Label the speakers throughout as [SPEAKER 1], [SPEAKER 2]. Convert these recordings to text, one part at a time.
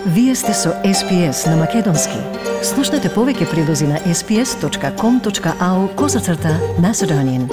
[SPEAKER 1] Вие сте со SPS на Македонски. Слушнете повеќе прилози на sps.com.au/Macedonian.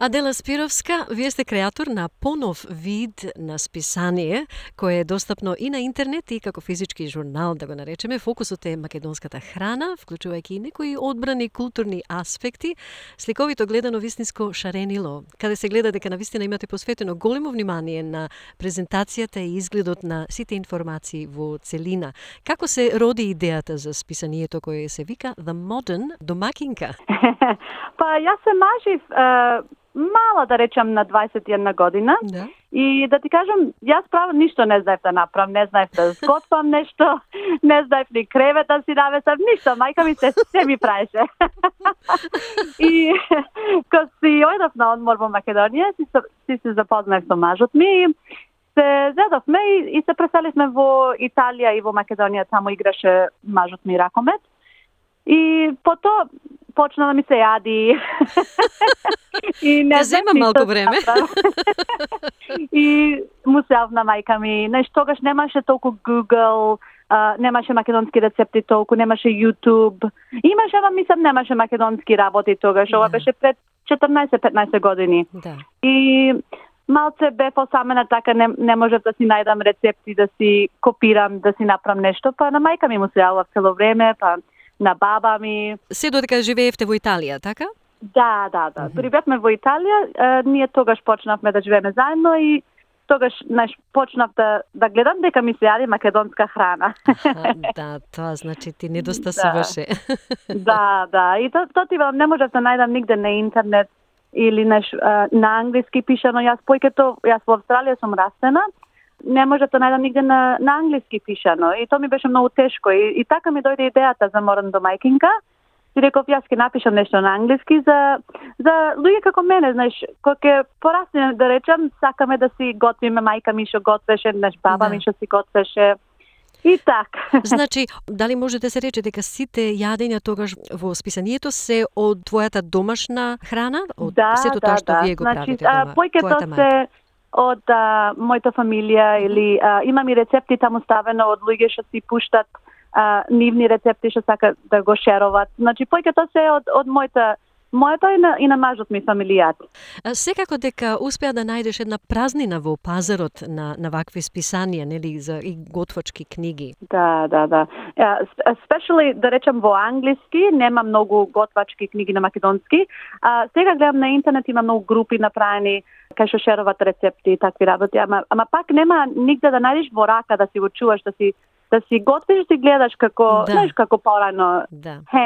[SPEAKER 2] Адела Спировска, вие сте креатор на понов вид на списание, кое е достапно и на интернет и како физички журнал, да го наречеме. Фокусот е македонската храна, вклучувајќи и некои одбрани културни аспекти, сликовито гледано вистинско шаренило, каде се гледа дека навистина имате посветено големо внимание на презентацијата и изгледот на сите информации во целина. Како се роди идејата за списанието кое се вика The Modern Домакинка?
[SPEAKER 3] Па јас се мажив мала, да речам, на 21 година.
[SPEAKER 2] Да.
[SPEAKER 3] И да ти кажам, јас право ништо не знаев да направам, не знаев да сготвам нешто, не знаев ни кревет да си навесам, ништо. Мајка ми се ми праеше. И кога си ојдов на одмор во Македонија, си се запознав со мажот ми, се зедовме и се преселивме во Италија и во Македонија, таму играше мажот ми ракомет. И потоа почна да ми се јади. И не
[SPEAKER 2] зема малку време.
[SPEAKER 3] И му се јавна мајка ми. Тогаш немаше толку Google, немаше македонски рецепти толку, немаше YouTube. Имаше, ама мислам, немаше македонски работи тогаш. Ова беше пред 14-15 години.
[SPEAKER 2] Да.
[SPEAKER 3] И малце бев осамена, така не можев да си најдам рецепти, да си копирам, да си направам нешто. Па на мајка ми му се јавила цело време, па на баба ми.
[SPEAKER 2] Се додека живеевте во Италија, така?
[SPEAKER 3] Да. Дори бевме во Италија, ние тогаш почнавме да живееме заедно и тогаш почнав да гледам дека ми се јади македонска храна.
[SPEAKER 2] Да, тоа значи ти недостасуваше.
[SPEAKER 3] Да. И тоа ти не можев да најдам нигде на интернет или на англиски пишано. Јас во Австралија сум растена. Не можев да најдам нигде на англиски пишано. И тоа ми беше многу тешко. И така ми дојде идејата за Modern Домакинка. И реков, јас ќе напишам нешто на англиски за луѓе како мене, знаеш, кога ќе порасне, да речам, сакаме да си готвиме, мајка ми што готвеше, баба ми што си готвеше. И така.
[SPEAKER 2] Значи, дали може да се рече дека сите јадења тогаш во списанието се од твојата домашна храна? Од сето тоа што вие го правите дома?
[SPEAKER 3] Повеќето се од мојата фамилија или имам и рецепти таму ставено од луѓе што си пуштат нивни рецепти што сака да го шеруват. Значи повеќето се од мојата и на мажот ми фамилијат.
[SPEAKER 2] Секако дека успеа да најдеш една празнина во пазарот на вакви списанија, нели, за и готвачки книги.
[SPEAKER 3] Да. Especially, да речам, во англиски нема многу готвачки книги на македонски. Сега гледам на интернет, има многу групи направени кај што шеруват рецепти и такви работи, ама пак нема нигде да најдеш во рака да си го чуваш, да си готвиш, да си гледаш како, знаеш, како порано,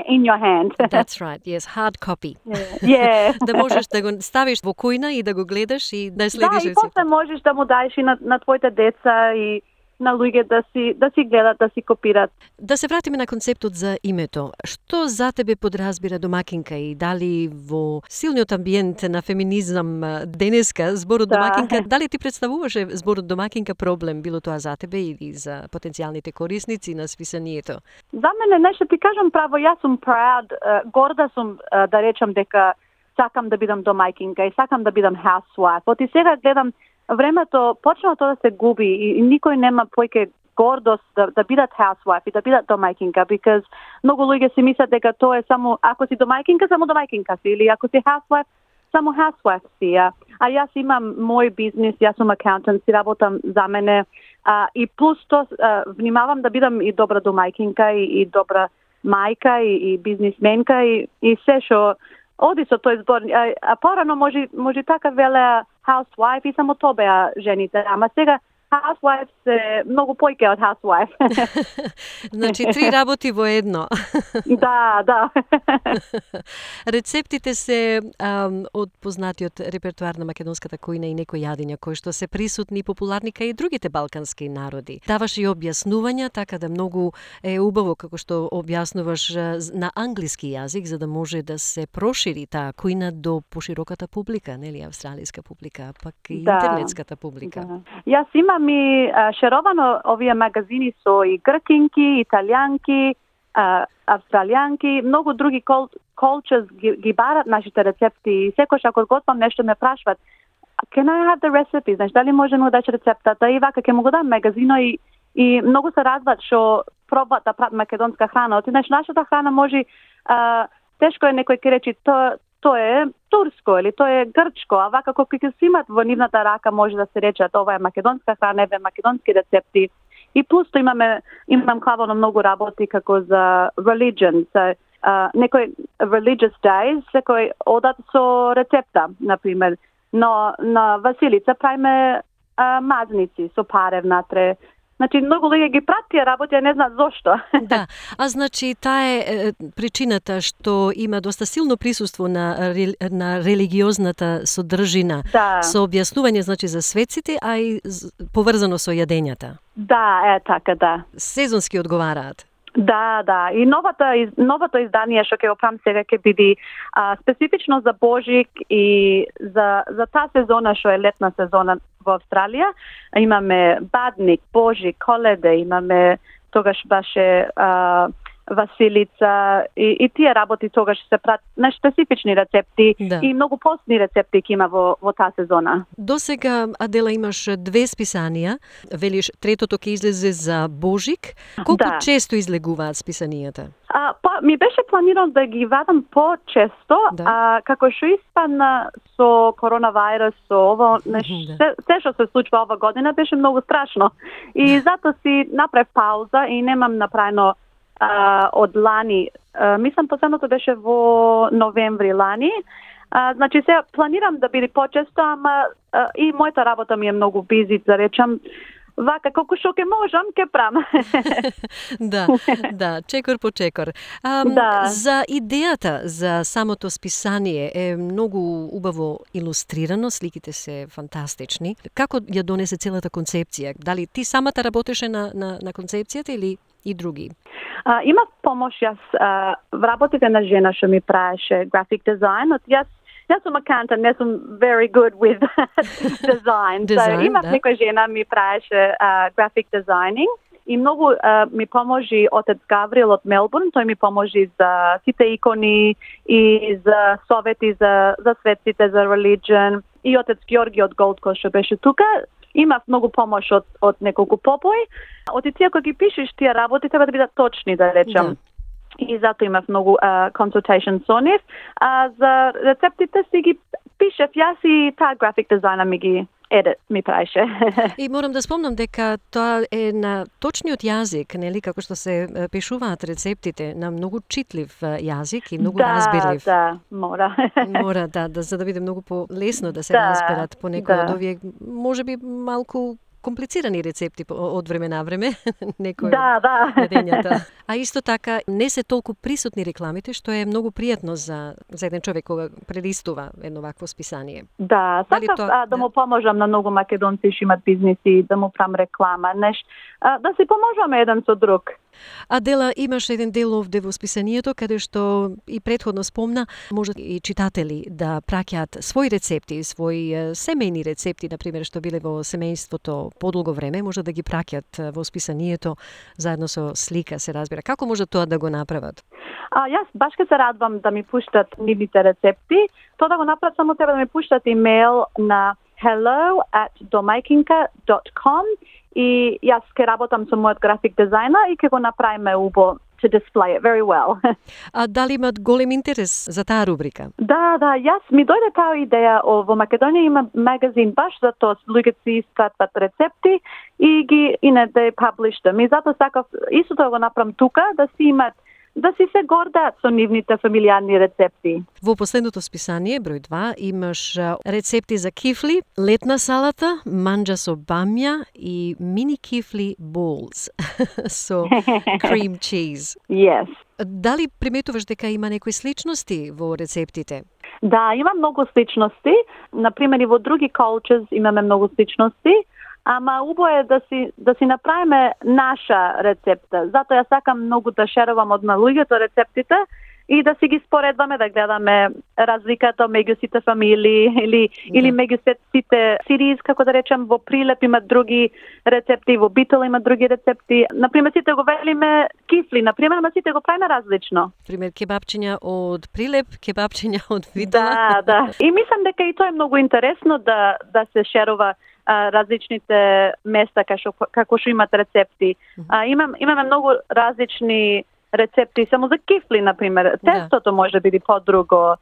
[SPEAKER 3] in your hand.
[SPEAKER 2] That's right, yes, hard copy.
[SPEAKER 3] Yeah.
[SPEAKER 2] Да можеш да го ставиш во кујна и да го гледаш и да следиш рецепти.
[SPEAKER 3] Да, и после можеш да му даеш и на твоите деца и на луѓе да си гледат, да си копират.
[SPEAKER 2] Да се вратиме на концептот за името. Што за тебе подразбира домакинка и дали во силниот амбиент на феминизам денеска зборот домакинка, дали ти представуваше зборот домакинка проблем, било тоа за тебе или за потенцијалните корисници на списанието?
[SPEAKER 3] За мене, нешто ти кажам право, јас сум proud, горда сум да речам дека сакам да бидам домакинка и сакам да бидам housewife. Оти сега гледам времето почна тоа да се губи и никој нема појќе гордост да бидат housewife и да бидат домајкинка, because многу луѓе си мислат дека тоа е само ако си домајкинка, само домајкинка си, или ако си housewife, само housewife си. А јас имам мој бизнис, јас сум акаунтант, си работам за мене и плюс тоа внимавам да бидам и добра домајкинка и добра мајка и бизнисменка и се што оди со тој збор. А порано може така веле housewife и само тоа беа жените. Ама сега housewife се многу појќе од housewife.
[SPEAKER 2] Значи, 3 работи во едно.
[SPEAKER 3] Да.
[SPEAKER 2] Рецептите се од познатиот репертуар на македонската кујна и некои јадења кои што се присутни и популарни кај и другите балкански народи. Даваш и објаснувања, така да многу е убаво како што објаснуваш на англиски јазик, за да може да се прошири таа кујна до пошироката публика, нели, австралиска публика, пак и интернетската публика.
[SPEAKER 3] Да. Јас имам и шеровано овие магазини со и гркинки, италијанки, австралијанки, многу други cultures ги барат нашите рецепти и секојаш ако готвам нешто ме прашват can I have the recipe? Знаеш, дали може да дадеш рецептата и вака ќе му го дам магазино и многу се радват што пробат да прават македонска храна. Знаеш, нашата храна може тешко е некој ќе речи тоа е турско или тоа е грчко, а вака кога ќе се имат во нивната рака може да се рече ова е македонска храна, еве македонски рецепти. И пусто имам хвално многу работи како за religion, некој religious days, секој одат со рецепта, например. Но на Василица правиме мазници со паре внатре. Значи, многу луѓе ги прат тие работи, а не знаат зошто.
[SPEAKER 2] Да, а значи таа е причината што има доста силно присуство на религиозната содржина, со објаснување значи за светците, а и поврзано со јадењата.
[SPEAKER 3] Да, така, да.
[SPEAKER 2] Сезонски одговараат.
[SPEAKER 3] Да. И новото издание што ќе го правам сега ќе биде специфично за Божик и за таа сезона што е летна сезона во Австралија. Имаме Бадник, Божик, Коледе, имаме тогаш баше Василица и тие работи тогаш се прават на специфични рецепти и многу постни рецепти ќе има во таа сезона.
[SPEAKER 2] До сега, Адела, имаш 2 списанија, велиш третото ќе излезе за Божик. Колку често излегуваат списанијата?
[SPEAKER 3] Ми беше планирано да ги вадам по-често, како што испадна со коронавирус, со ово, се што се случува ова година беше многу страшно. И затоа си направив пауза и немам направено од лани. Мислам последното беше во новември лани. Значи се планирам да биде почесто, ама и мојата работа ми е многу бизи, да речам. Вака, колку што ќе можам, ќе правам.
[SPEAKER 2] Да, чекор по чекор. За идејата за самото списание е многу убаво илустрирано, сликите се фантастични. Како ја донесе целата концепција? Дали ти самата работеше на концепцијата или и други?
[SPEAKER 3] Има помош јас в работите на жена што ми правеше graphic design. Јас сум accountant, не сум very good with design. Имав некоја жена ми правеше graphic designing и многу ми поможи отец Гаврил од Мелбурн. Тој ми поможи за сите икони и за совети за светците, за religion. И отец Георги од Gold Coast што беше тука. Имав многу помош од неколку попои. Од тие кои ги пишеш тие работи треба да бидат точни, да речам. И затоа имав многу consultation со нив. За рецептите си ги пишев јас и таа график дизајна ми правеше.
[SPEAKER 2] И морам да спомнам дека тоа е на точниот јазик, нели, како што се пишуваат рецептите, на многу читлив јазик и многу разбирлив.
[SPEAKER 3] Да, мора.
[SPEAKER 2] Мора, за да биде многу полесно да се разберат по некои од овие, можеби малку комплицирани рецепти од време на време, некои од јадењата. А исто така не се толку присутни рекламите, што е многу пријатно за еден човек кога прелистува едно вакво списание.
[SPEAKER 3] Да, сакав да му поможам на многу македонци што имат бизниси, да му правам реклама, да си поможуваме еден со друг.
[SPEAKER 2] Адела, имаш еден дел овде во списанието, каде што и претходно спомна, можат и читатели да праќаат своји рецепти, своји семејни рецепти, например, што биле во семејството подолго време, може да ги праќаат во списанието заедно со слика, се разбира. Како може тоа да го направат?
[SPEAKER 3] Јас баш ке се радвам да ми пуштат нивните рецепти. Тоа да го направат само треба да ми пуштат имейл на hello@domakinka.com и јас ке работам со мојот график дизајнер и ке го направиме убо to display it very well.
[SPEAKER 2] А дали имат голем интерес за таа рубрика?
[SPEAKER 3] Да, јас ми дојде таа идеја во Македонија има магазин баш за тоа, луѓето си испратат рецепти и ги they publish them. И затоа сакав исто тоа го направам тука, да си се гордаат со нивните фамилијарни рецепти.
[SPEAKER 2] Во последното списание, број 2, имаш рецепти за кифли, летна салата, манџа со бамја и мини кифли bowls со cream cheese.
[SPEAKER 3] Yes.
[SPEAKER 2] Дали приметуваш дека има некои сличности во рецептите?
[SPEAKER 3] Да, има многу сличности. Например, и во други cultures имаме многу сличности. Ама убаво е да си направиме наша рецепта. Затоа ја сакам многу да шерувам од луѓето рецептите и да си ги споредваме, да гледаме разликата меѓу сите фамилии или меѓу сите сириз, како да речем, во Прилеп има други рецепти, во Битол има други рецепти. Например, сите го велиме кифли, например, ама сите го правиме различно.
[SPEAKER 2] Пример, кебапчиња од Прилеп, кебапчиња од Битола.
[SPEAKER 3] Да. И мислам дека и тоа е многу интересно да се шерува различните места како што имат рецепти. Имаме многу различни рецепти само за кифли, например. Тестото може да биде подруго,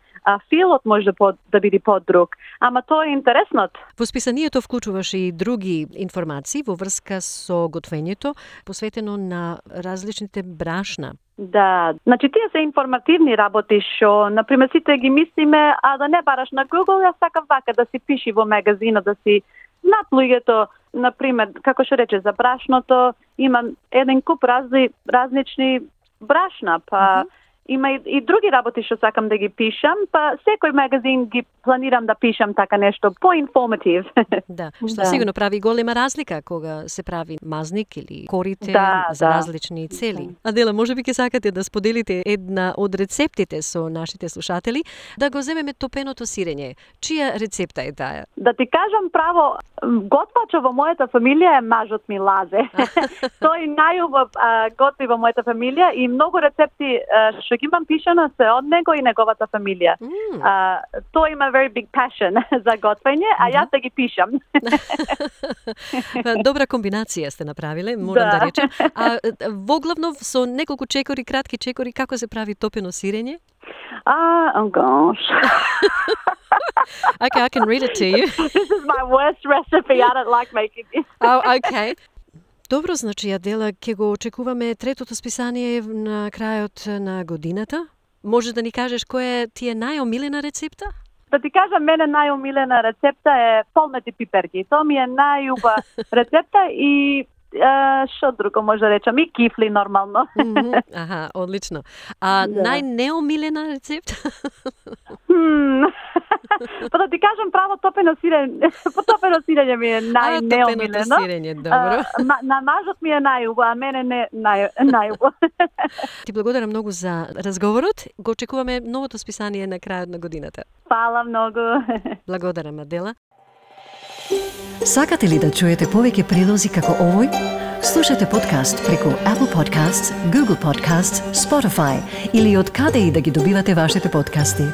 [SPEAKER 3] филот може да биде подруг. Ама тоа е интересно.
[SPEAKER 2] Во списанието вклучуваш и други информации во врска со готвењето, посветено на различните брашна.
[SPEAKER 3] Да, значи тие се информативни работи што, например, сите ги мислиме, а да не бараш на Google, јас сакам вака да си пиши во магазинот, да си знаат луѓето, например, како што рече за брашното, има еден куп различни брашна, па има и други работи што сакам да ги пишам, па секој магазин ги планирам да пишам така нешто по-информатив.
[SPEAKER 2] Да, што сигурно прави голема разлика кога се прави мазник или корите за различни цели. Адела, можеби ќе сакате да споделите една од рецептите со нашите слушатели, да го земеме топеното сирење. Чија рецепта е таа?
[SPEAKER 3] Да ти кажам право, готвачо во мојата фамилија е мажот ми Лазе. Тој најубав готви во мојата фамилија и многу рецепти што ги имам пишано се од него и неговата фамилија. Тој има very big passion за готвење, а јас да ги пишам.
[SPEAKER 2] Добра комбинација сте направиле, морам да речем. А воглавно со неколку чекори, кратки чекори, како се прави топено сирење?
[SPEAKER 3] Oh gosh.
[SPEAKER 2] Okay, I can read it to you.
[SPEAKER 3] This is my worst recipe. I don't like making it.
[SPEAKER 2] Oh, okay. Добро, значи, Адела, ќе го очекуваме третото списание на крајот на годината. Може да ни кажеш која ти е најомилена рецепта?
[SPEAKER 3] Да ти кажам, мене најомилена рецепта е полмети пиперки. Тоа ми е најуба рецепта и што друго може да речам, и кифли нормално.
[SPEAKER 2] Аха, одлично. А најнеомилена рецепта?
[SPEAKER 3] Па да ти кажам право, топено сирење ми е најнеомилено.
[SPEAKER 2] Топеното сирење, добро.
[SPEAKER 3] На мажот ми е најубо, а мене не најубо.
[SPEAKER 2] Ти благодарам многу за разговорот. Го очекуваме новото списание на крајот на годината.
[SPEAKER 3] Фала многу.
[SPEAKER 2] Благодарам, Адела.
[SPEAKER 1] Сакате ли да чуете повеќе прилози како овој? Слушате подкаст преку Apple Podcasts, Google Podcasts, Spotify или од каде и да ги добивате вашите подкасти.